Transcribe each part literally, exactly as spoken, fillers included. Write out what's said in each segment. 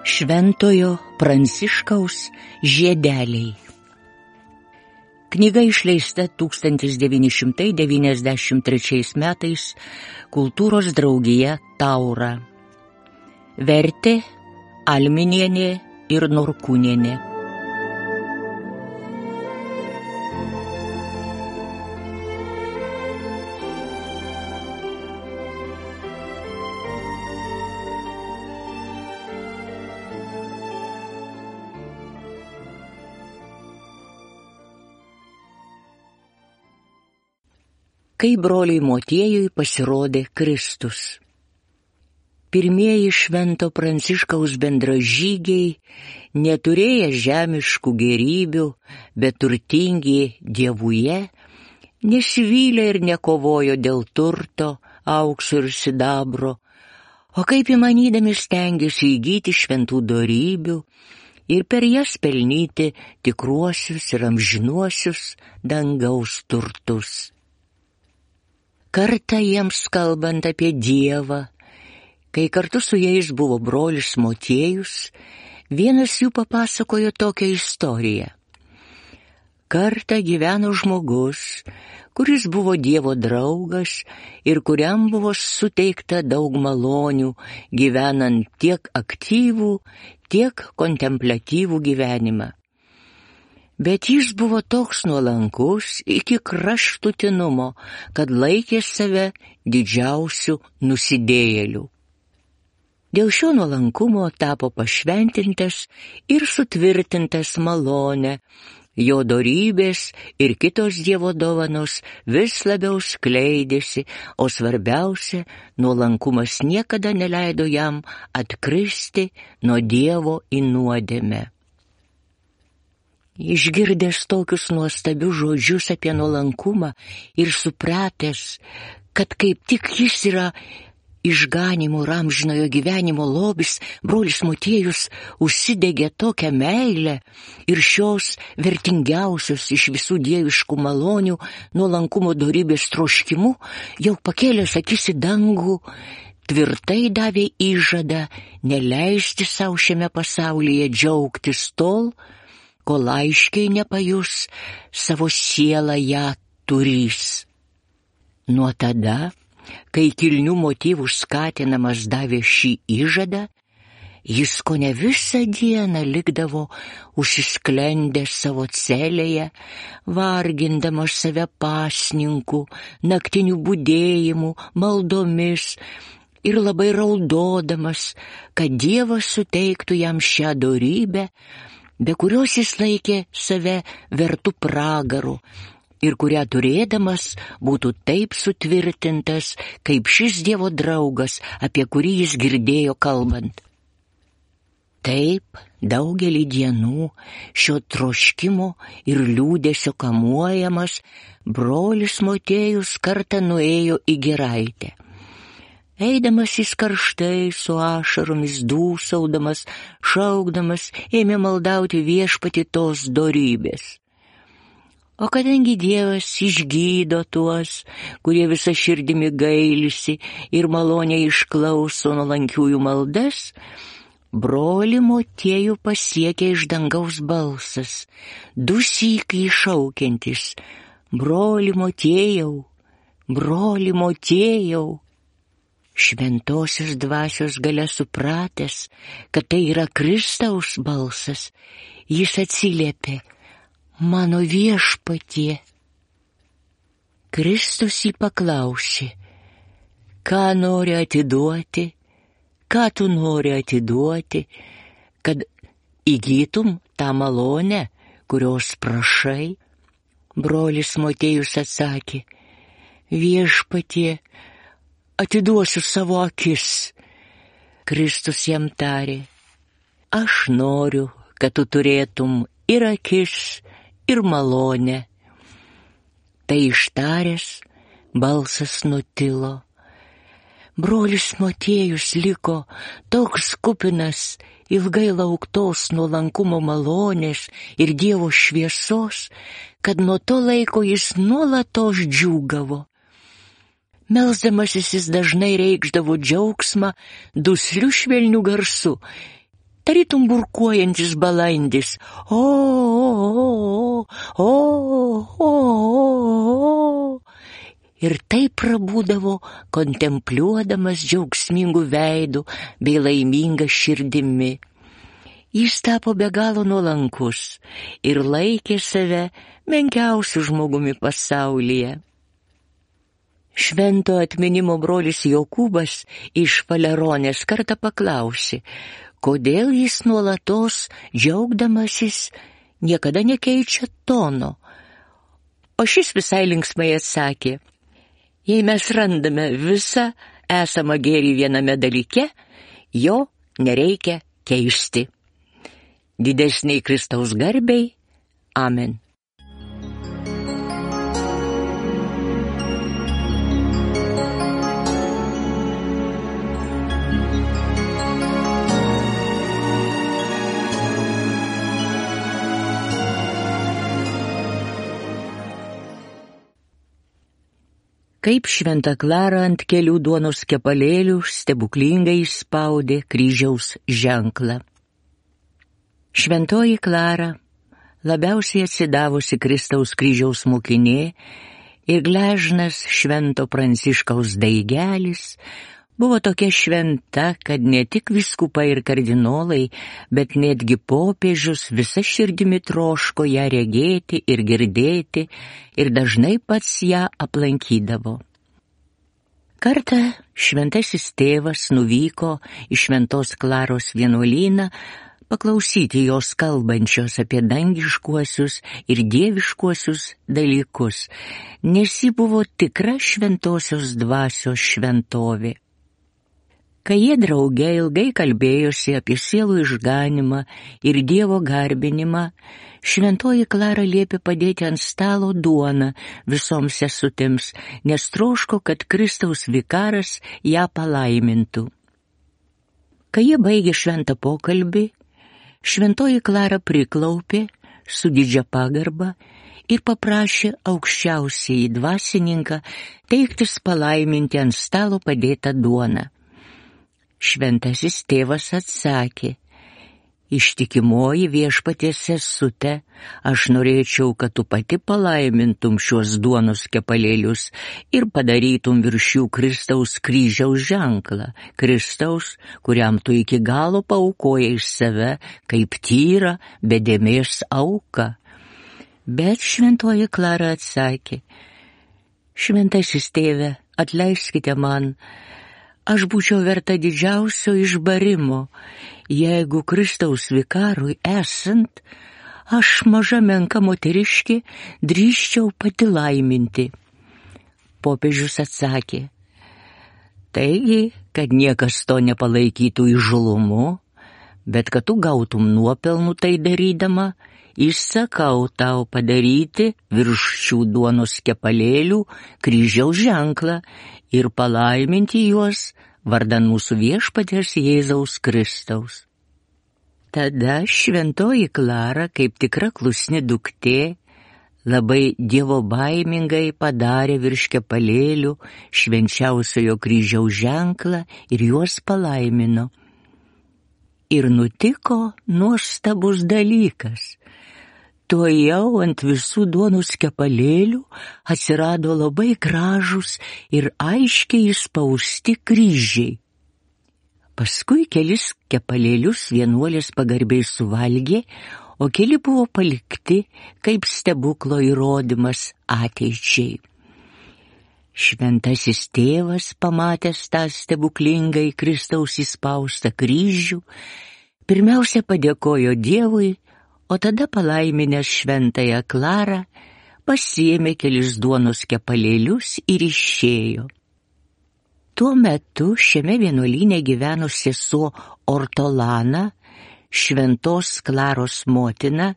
Šventojo Pranciškaus žiedeliai. Knyga išleista tūkstantis devyni šimtai devyniasdešimt trečiais metais Kultūros draugija Taura. Vertė Alminienė ir Norkūnienė. Kai broliui Motiejui pasirodė Kristus. Pirmieji Švento Pranciškaus bendražygiai, neturėję žemiškų gėrybių, bet turtingi Dievuje, nesivylė ir nekovojo dėl turto, aukso ir sidabro, o kaip įmanydami stengėsi įgyti šventų dorybių ir per jas pelnyti tikruosius ir amžinuosius dangaus turtus. Kartą jiems kalbant apie Dievą, kai kartu su jais buvo brolis Motiejus, vienas jų papasakojo tokią istoriją. Kartą gyveno žmogus, kuris buvo Dievo draugas ir kuriam buvo suteikta daug malonių, gyvenant tiek aktyvų, tiek kontempliatyvų gyvenimą. Bet jis buvo toks nuolankus iki kraštutinumo, kad laikė save didžiausiu nusidėjėliu. Dėl šio nuolankumo tapo pašventintas ir sutvirtintas malone, jo dorybės ir kitos Dievo dovanos vis labiau skleidėsi, o svarbiausia, nuolankumas niekada neleido jam atkristi nuo Dievo į nuodėmę. Išgirdęs tokius nuostabius žodžius apie nuolankumą ir supratęs, kad kaip tik jis yra išganimo ir amžinojo gyvenimo lobis, brolis Motiejus užsidegė tokią meilę ir šios vertingiausios iš visų dieviškų malonių nuolankumo dorybės troškimu, jau pakėlęs akis į dangų, tvirtai davė įžadą neleisti savo šiame pasaulyje džiaugtis tol, kol aiškiai nepajus savo sielą ją turys. Nuo tada, kai kilnių motyvų skatinamas davė šį įžadą, jis kone visą dieną likdavo užsisklendęs savo celėje, vargindamas save pasninku, naktinių budėjimų, maldomis ir labai raudodamas, kad Dievas suteiktų jam šią dorybę, be kurios jis laikė save vertų pragaru ir kurią turėdamas būtų taip sutvirtintas, kaip šis Dievo draugas, apie kurį jis girdėjo kalbant. Taip, daugelį dienų šio troškimo ir liūdesio kamuojamas brolis Motiejus kartą nuėjo į giraitę. Eidamas jis karštai, su ašaromis dūsaudamas, šaukdamas, ėmė maldauti viešpatį tos dorybės. O kadangi Dievas išgydo tuos, kurie visą širdimi gailisi ir maloniai išklauso nuolankiųjų maldas, brolį Motiejų pasiekė iš dangaus balsas, dusykiai šaukiantis: broli Motiejau, broli Motiejau. Šventosios dvasios galia supratęs, kad tai yra Kristaus balsas, jis atsiliepė: mano viešpatie. Kristus jį paklausė: ką nori atiduoti, ką tu nori atiduoti, kad įgytum tą malonę, kurios prašai? Brolis Motiejus atsakė: viešpatie, atiduosiu savo akis. Kristus jam tarė: aš noriu, kad tu turėtum ir akis, ir malonę. Tai ištaręs, balsas nutilo. Brolis Motiejus liko toks kupinas ilgai lauktos nuolankumo malonės ir Dievo šviesos, kad nuo to laiko jis nuolatos džiūgavo. Melsdamasis jis dažnai reikšdavo džiaugsmą dusliu švelniu garsu, tarytum burkuojantis balandis. O, o, o, o, o. Ir taip prabūdavo, kontempliuodamas džiaugsmingų veidų bei laimingą širdimi. Jis tapo be galo nuolankus ir laikė save menkiausiu žmogumi pasaulyje. Švento atminimo brolis Jokūbas iš Faleronės kartą paklausė, kodėl jis nuolatos džiaugdamasis niekada nekeičia tono. O šis visai linksmai atsakė, jei mes randame visą esamą gėrį viename dalyke, jo nereikia keisti. Didesniai Kristaus garbei. Amen. Kaip šventa Klara ant kelių duonos kepalėlių stebuklingai išspaudė kryžiaus ženklą. Šventoji Klara, labiausiai atsidavusi Kristaus kryžiaus mokinė ir gležnas švento Pranciškaus daigelis, buvo tokia šventa, kad ne tik vyskupai ir kardinolai, bet netgi popiežius visa širdimi troško ją regėti ir girdėti ir dažnai pats ją aplankydavo. Kartą šventasis tėvas nuvyko į Šventos Klaros vienuolyną paklausyti jos kalbančios apie dangiškuosius ir dieviškuosius dalykus, nes ji buvo tikra šventosios dvasios šventovė. Kai jie drauge ilgai kalbėjosi apie sielų išganimą ir Dievo garbinimą, šventoji Klara liepė padėti ant stalo duoną visoms sesutėms, nes troško, kad Kristaus vikaras ją palaimintų. Kai jie baigė šventą pokalbį, šventoji Klara priklaupė su didžia pagarba ir paprašė aukščiausiąjį dvasininką teiktis palaiminti ant stalo padėtą duoną. Šventasis tėvas atsakė, ištikimoji viešpaties sesute, aš norėčiau, kad tu pati palaimintum šiuos duonos kepalėlius ir padarytum virš jų Kristaus kryžiaus ženklą, Kristaus, kuriam tu iki galo paaukojai save kaip tyrą, be dėmės auką. Bet šventoji Klara atsakė, šventasis tėve, atleiskite man, aš būčiau verta didžiausio išbarimo, jeigu Kristaus vikarui esant, aš maža menka moteriškė drįsčiau pati laiminti. Popiežius atsakė, taigi, kad niekas to nepalaikytų įžūlumu, bet kad tu gautum nuopelnų tai darydama, įsakau tau padaryti virš šių duonos kepalėlių kryžiaus ženklą ir palaiminti juos vardan mūsų viešpaties Jėzaus Kristaus. Tada šventoji Klara, kaip tikra klusni duktė, labai dievobaimingai padarė virš kepalėlių švenčiausiojo kryžiaus ženklą ir juos palaimino. Ir nutiko nuostabus dalykas. Tuojau ant visų duonos kepalėlių atsirado labai gražūs ir aiškiai įspausti kryžiai. Paskui kelis kepalėlius vienuolės pagarbiai suvalgė, o keli buvo palikti kaip stebuklo įrodymas ateičiai. Šventasis tėvas, pamatęs tą stebuklingai Kristaus įspaustą kryžių, pirmiausia padėkojo Dievui, o tada palaiminęs šventąją Klarą, pasiėmė kelis duonos kepalėlius ir išėjo. Tuo metu šiame vienuolyne gyveno sesuo Ortolana, šventos Klaros motina,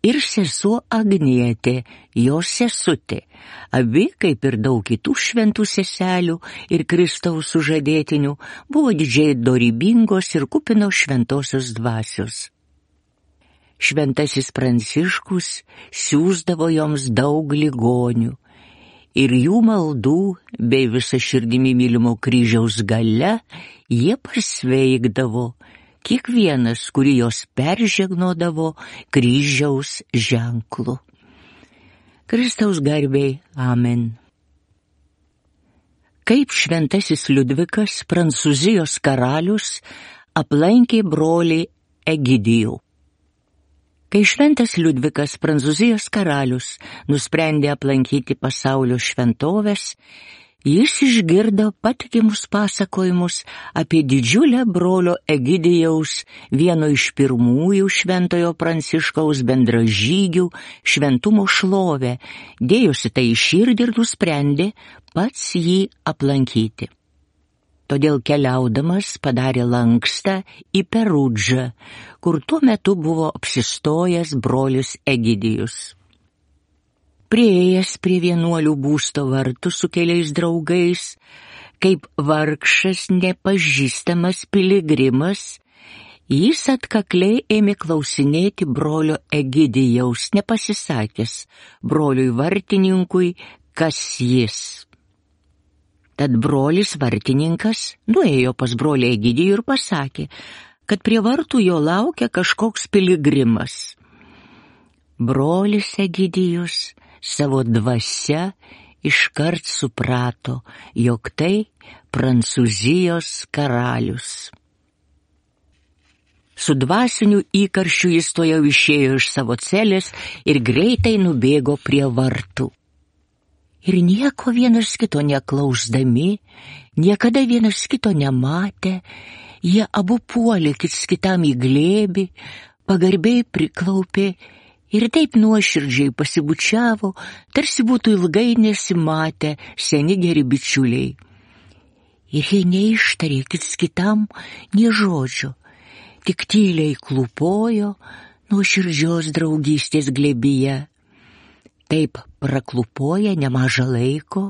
ir sesuo Agnietė, jos sesutė, abi, kaip ir daug kitų šventų seselių ir Kristaus sužadėtinių, buvo didžiai dorybingos ir kupino šventosios dvasios. Šventasis Pranciškus siųsdavo joms daug ligonių ir jų maldų bei visa širdimi mylimo kryžiaus galia jie pasveikdavo, kiekvienas, kurį jos peržegnodavo kryžiaus ženklu. Kristaus garbei, amen. Kaip šventasis Liudvikas, Prancūzijos karalius, aplankė brolį Egidijų. Kai šventas Liudvikas, Prancūzijos karalius, nusprendė aplankyti pasaulio šventoves, jis išgirdo patikimus pasakojimus apie didžiulę brolio Egidijaus, vieno iš pirmųjų šventojo Pranciškaus bendražygių, šventumo šlovę, dėjosi tai į širdį ir nusprendė pats jį aplankyti. Todėl keliaudamas padarė lankstą į Perudžą, kur tuo metu buvo apsistojęs brolis Egidijus. Priėjęs prie vienuolių būsto vartų su keliais draugais, kaip vargšas nepažįstamas piligrimas, jis atkakliai ėmė klausinėti brolio Egidijaus, nepasisakęs broliui vartininkui, kas jis. Tad brolis vartininkas nuėjo pas brolį Egidijų ir pasakė, kad prie vartų jo laukia kažkoks piligrimas. Brolis Egidijus savo dvasia iškart suprato, jog tai Prancūzijos karalius. Su dvasiniu įkarščiu jis tuojau išėjo iš savo celės ir greitai nubėgo prie vartų. Ir nieko vienas kito neklausdami, niekada vienas kito nematę, jie abu puolė kits kitam į glėbį, pagarbiai priklaupė ir taip nuoširdžiai pasibučiavo, tarsi būtų ilgai nesimatę seni geri bičiuliai. Ir jie neištarė kits kitam nė žodžio, tik tyliai klūpojo nuoširdžios draugystės glėbyje. Taip praklūpoja nemažą laiko,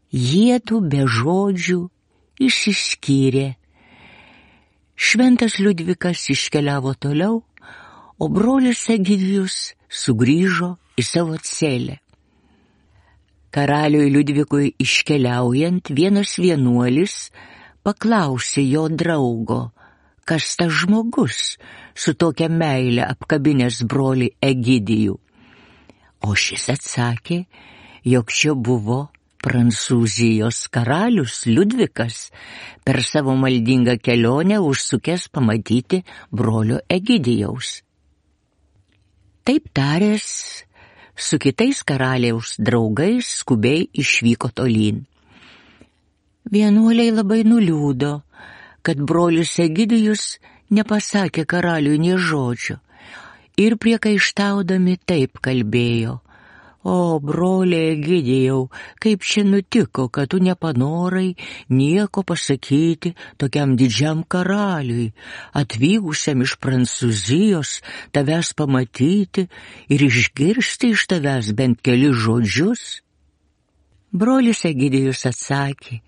jiedu be žodžių išsiskyrė. Šventas Liudvikas iškeliavo toliau, o brolis Egidijus sugrįžo į savo celę. Karaliui Liudvikui iškeliaujant, vienas vienuolis paklausė jo draugo, kas tas žmogus su tokia meile apkabinęs brolį Egidijų. O šis atsakė, jog čia buvo Prancūzijos karalius Liudvikas, per savo maldingą kelionę užsukęs pamatyti brolio Egidijaus. Taip taręs, su kitais karaliaus draugais skubiai išvyko tolyn. Vienuoliai labai nuliūdo, kad brolis Egidijus nepasakė karaliui nė žodžio, ir priekaištaudami taip kalbėjo: O, broli Egidijau, kaip čia nutiko, kad tu nepanorai nieko pasakyti tokiam didžiam karaliui, atvykusiam iš Prancūzijos, tavęs pamatyti ir išgirsti iš tavęs bent kelis žodžius? Brolis Egidijus atsakė: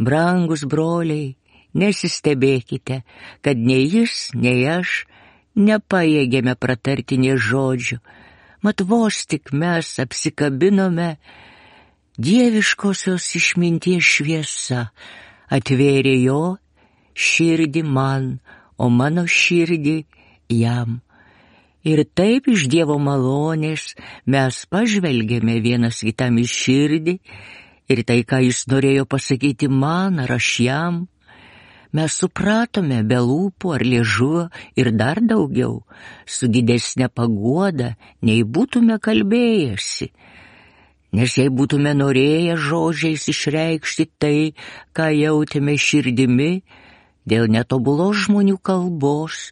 Brangus broliai, nesistebėkite, kad nei jis, nei aš nepajėgėme pratarti nė žodžių, mat vos tik mes apsikabinome, dieviškosios išminties šviesa atvėrė jo širdį man, o mano širdį jam. Ir taip iš Dievo malonės mes pažvelgėme vienas kitam į širdį, ir tai, ką jis norėjo pasakyti man ar aš jam, mes supratome be lūpų ar liežuvio ir dar daugiau, su didesnė paguoda, nei būtume kalbėjęsi. Nes jei būtume norėję žodžiais išreikšti tai, ką jautėme širdimi, dėl netobulos žmonių kalbos,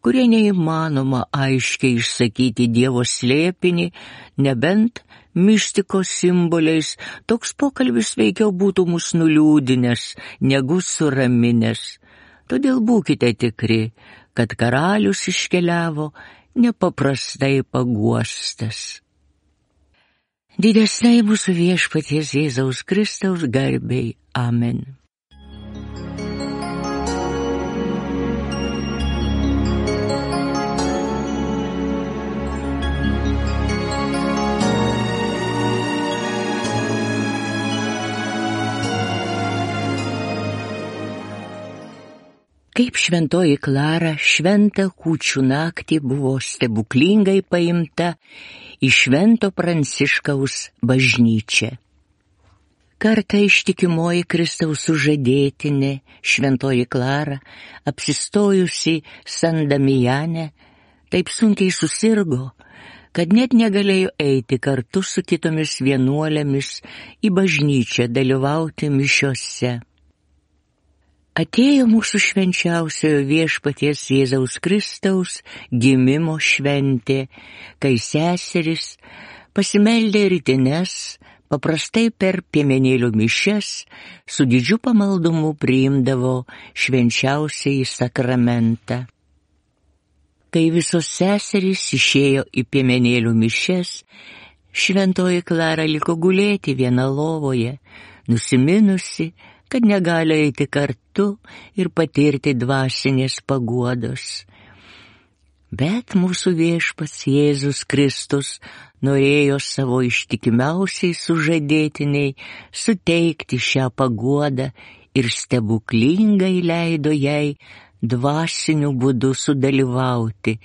kurie neįmanoma aiškiai išsakyti Dievo slėpinį, nebent mistikos simboliais, toks pokalbis veikiau būtų mus nuliūdinęs, negu suraminęs. Todėl būkite tikri, kad karalius iškeliavo nepaprastai paguostas. Didesnei mūsų viešpaties Jėzaus Kristaus garbei. Amen. Kaip šventoji Klara šventą kūčių naktį buvo stebuklingai paimta į Švento Pranciškaus bažnyčią. Kartą ištikimoji Kristaus sužadėtinė šventoji Klara, apsistojusi San Damijane, taip sunkiai susirgo, kad net negalėjo eiti kartu su kitomis vienuolėmis į bažnyčią dalyvauti mišiose. Atėjo mūsų švenčiausiojo viešpaties Jėzaus Kristaus gimimo šventė, kai seserys pasimeldė rytines, paprastai per piemenėlių mišias, su didžiu pamaldumu priimdavo švenčiausiąjį sakramentą. Kai visos seserys išėjo į piemenėlių mišias, šventoji Klara liko gulėti viena lovoje, nusiminusi, kad negali eiti kartu ir patirti dvasinės paguodos. Bet mūsų viešpats Jėzus Kristus norėjo savo ištikimiausiai sužadėtiniai suteikti šią paguodą ir stebuklingai leido jai dvasiniu būdu sudalyvauti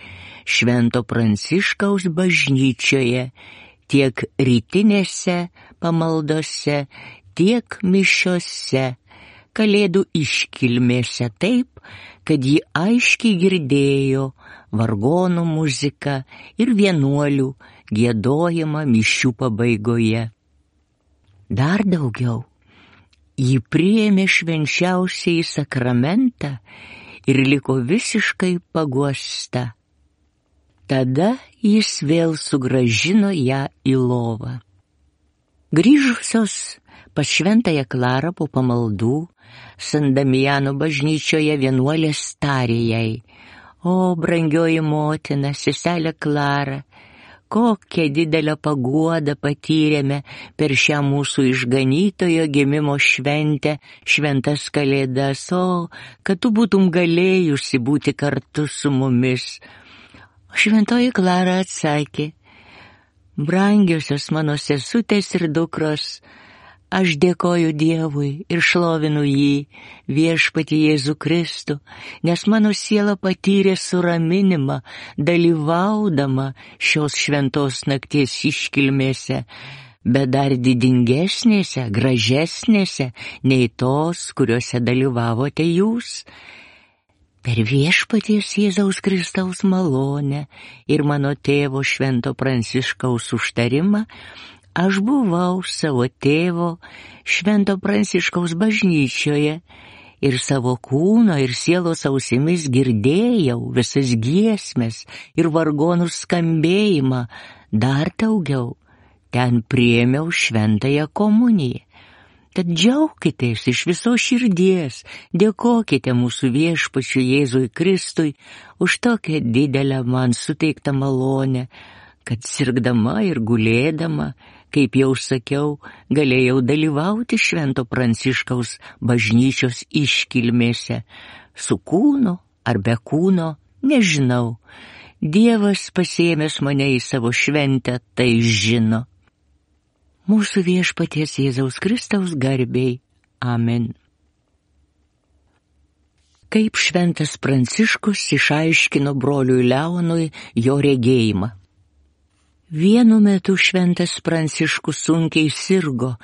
Švento Pranciškaus bažnyčioje tiek rytinėse pamaldose, tiek mišiose, kalėdų iškilmėse taip, kad ji aiškiai girdėjo vargonų muziką ir vienuolių giedojimą mišių pabaigoje. Dar daugiau, ji priėmė švenčiausiąjį sakramentą ir liko visiškai paguosta. Tada jis vėl sugrąžino ją į lovą. Grįžusios pas šventąją Klarą po pamaldų, San Damijano bažnyčioje vienuolės tarė jai: O, brangioji motina, seselė Klara, kokią didelę paguodą patyrėme per šią mūsų išganytojo gimimo šventę, šventas kalėdas, o, kad tu būtum galėjusi būti kartu su mumis. O šventoji Klara atsakė: Brangiosios mano sesutės ir dukros, aš dėkoju Dievui ir šlovinu jį, viešpatį Jėzų Kristų, nes mano siela patyrė suraminimą, dalyvaudama šios šventos nakties iškilmėse, bet dar didingesnėse, gražesnėse nei tos, kuriuose dalyvavote jūs. Per viešpaties Jėzaus Kristaus malonę ir mano tėvo Švento Pranciškaus užtarimą, aš buvau savo tėvo Švento Pranciškaus bažnyčioje ir savo kūno ir sielos ausimis girdėjau visas giesmes ir vargonų skambėjimą, dar daugiau, ten priėmiau šventąją komuniją. Tad džiaukitės iš visos širdies, dėkokite mūsų viešpačiui Jėzui Kristui už tokią didelę man suteiktą malonę, kad sirgdama ir gulėdama, kaip jau sakiau, galėjau dalyvauti Švento Pranciškaus bažnyčios iškilmėse, su kūnu ar be kūno, nežinau. Dievas pasiėmęs mane į savo šventę, tai žino. Mūsų viešpaties Jėzaus Kristaus garbei. Amen. Kaip šventas Pranciškus išaiškino broliui Leonui jo regėjimą. Vienu metu šventas Pranciškus sunkiai sirgo,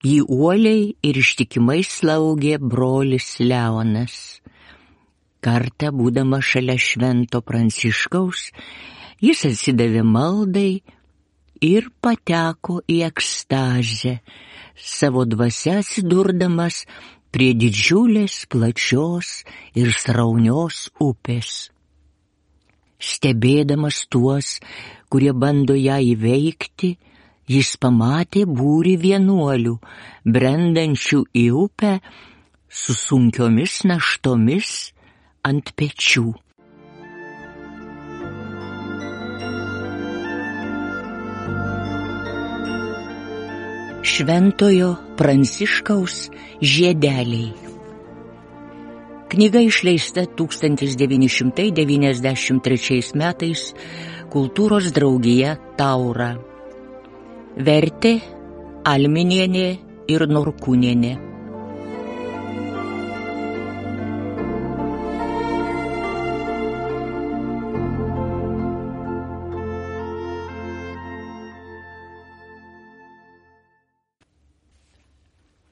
jį uoliai ir ištikimai slaugė brolis Leonas. Kartą, būdama šalia švento Pranciškaus, jis atsidavė maldai ir pateko į ekstazę, savo dvasia atsidurdamas prie didžiulės, plačios ir sraunios upės. Stebėdamas tuos, kurie bando ją įveikti, jis pamatė būrį vienuolių, brendančių į upę su sunkiomis naštomis ant pečių. Šventojo Pranciškaus žiedeliai. Knyga išleista tūkstantis devyni šimtai devyniasdešimt trečiais metais Kultūros draugija Taura. Vertė Alminienė ir Norkūnienė.